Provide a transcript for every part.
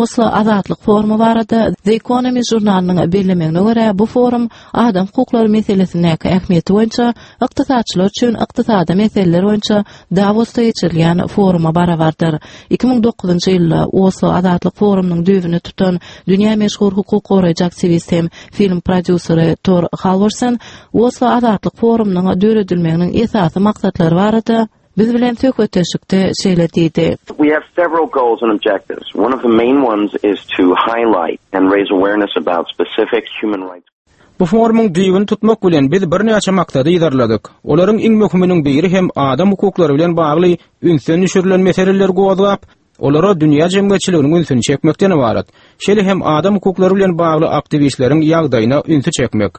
Oslo Azatlyk forumy barada The Economist žurnalynyň bellemegine görä, bu forum adam hukuklary meselesindäki ähmiýeti boýunça ykdysatçylar üçin ykdysady meseleler boýunça Dawosda geçirilýän foruma barabardyr. 2009-njy ýylda Oslo Azatlyk forumynyň düýbüni tutan dünýä meşhur hukuk goraýjy aktiwist hem film prodýuseri Tor Halworsen Oslo Azatlyk forumynyň döredilmeginiň esasy maksatlary barada biz bilen söhbetdeşlikde şeýle diýdi. We have several goals and objectives. One of the main ones is to highlight and raise awareness about specific human rights. Bu forumyň düýbüni tutmak bilen biz birnäçe maksady yzarladyk. Olaryň iň möhüminiň biri hem adam hukuklary bilen bagly ünsden düşürilen meseleleri gozgap, olara dünýä jemgyýetçiliginiň ünsüni çekmekden ybarat. Şeýle hem adam hukuklary bilen bagly aktiwistleriň ýagdaýyna ünsi çekmek.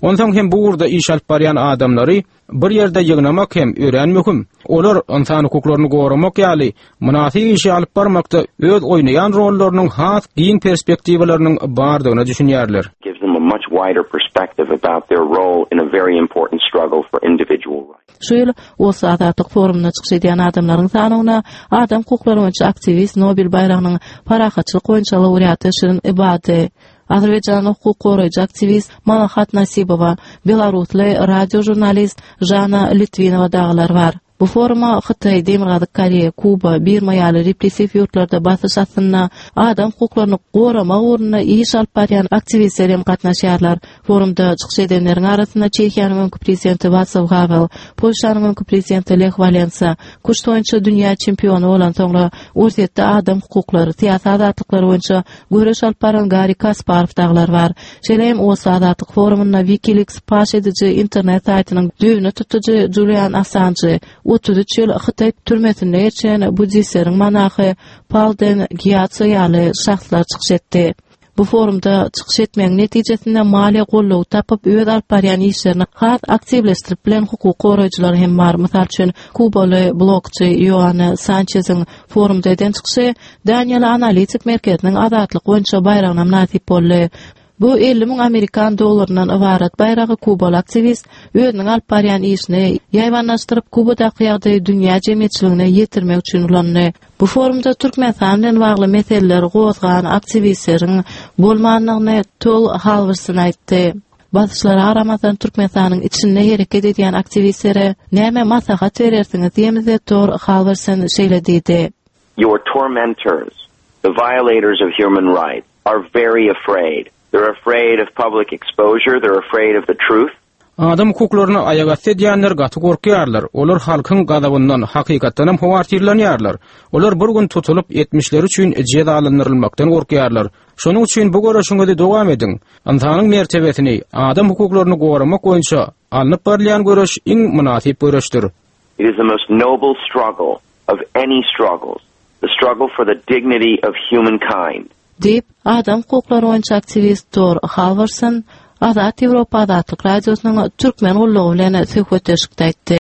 Onsoň hem bu ugurda iş alyp barýan adamlary bir ýerde ýygnamak hem örän möhüm. Olar ynsan hukuklaryny goramak ýaly mynasyp işi alyp barmakda öz oýnaýan rollarynyň has giň perspektiwalarynyň bardygyna düşünýärler. gives them a much wider perspective about their role in a very important struggle for individual rights. Şu ýyl Oslo Azatlyk forumynda çykyş edýän adamlaryň sanawyna adam hukuklary boýunça aktiwist, Nobel baýragynyň parahatçylyk boýunça laureaty Şirin Ebadi, Azerbaýjanly hukuk goraýjy aktiwist Malahat Nasibowa, belarusly radio žurnalist Žana Litwinowa dagylar bar. Bu foruma Hytaý, Demirgazyk Koreýa, Kuba, Birma ýaly repressiw ýurtlarda basyş astynda adam hukuklaryny goramak ugrunda iş alyp barýan aktiwistler hem gatnaşýarlar. Forumda çykyş edenleriň arasynda Çehiýanyň öňki prezidenti Waslaw Hawel, Polşanyň öňki prezidenti Leh Walensa, küşt boýunça dünýä çempiony bolan soňra Orsýetde adam hukuklary, syýasy azatlyklary boýunça göreş alyp baran Garri Kasparow dagylar bar. Şeýle hem Oslo Azatlyk forumynda WikiLeaks paş ediji internet saýtynyň düýbüni tutujy Julian Assanjy, 33 ýyl Hytaý türmesinde geçiren buddistleriň monahy Palden Gýatso ýaly şahslar çykyş etdi. Bu forumda çykyş etmegiň netijesinde maliýe goldawy tapyp, öz alyp barýan işlerini has aktiwleşdirip bilen hukuk goraýjylar hem bar. Mysal üçin, kubaly blogçy Ýoanna Sançeziň forumda eden çykyşy Daniýaly analitik merkeziniň azatlyk boýunça baýragyna mynasyp boldy. Bu 50 müň amerikan dollaryndan ybarat baýragy kubaly aktiwist özüniň alyp barýan işini ýaýbaňlaşdyryp, Kubadaky ýagdaýy dünýä jemgyýetçiligine ýetirmek üçin ulandy. Bu forumda Türkmenistan bilen bagly meseleleri gozgan aktiwistleriň bolmandygyny Tol Halwerson aýtdy. Basyşlara garamazdan Türkmenistanyň içinde hereket edýän aktiwistlere näme maslahat berersiňiz diýemizde Tor Halwerson şeýle diýdi. Your tormentors, the violators of human rights, are very afraid. They're afraid of public exposure, they're afraid of the truth. Adam hukuklaryny aýagasty edýänler gaty gorkýarlar. Olar halkyň gazabyndan, hakykatdanam howatyrlanýarlar. Olar bir gün tutulyp, etmişleri üçin jezalandyrylmakdan gorkýarlar. Şonuň üçin bu göreşiňizi dowam ediň. Ynsanyň mertebesini, adam hukuklaryny goramak boýunça alnyp barylýan göreş iň mynasyp göreşdir. It is the most noble struggle of any struggles, the struggle for the dignity of humankind. Diýip, adam hukuklary boýunça aktiwist Tor Halworsen Azat Ýewropa Azatlyk Radiosynyň Türkmen gullugy bilen söhbetdeşlikde aýtdy.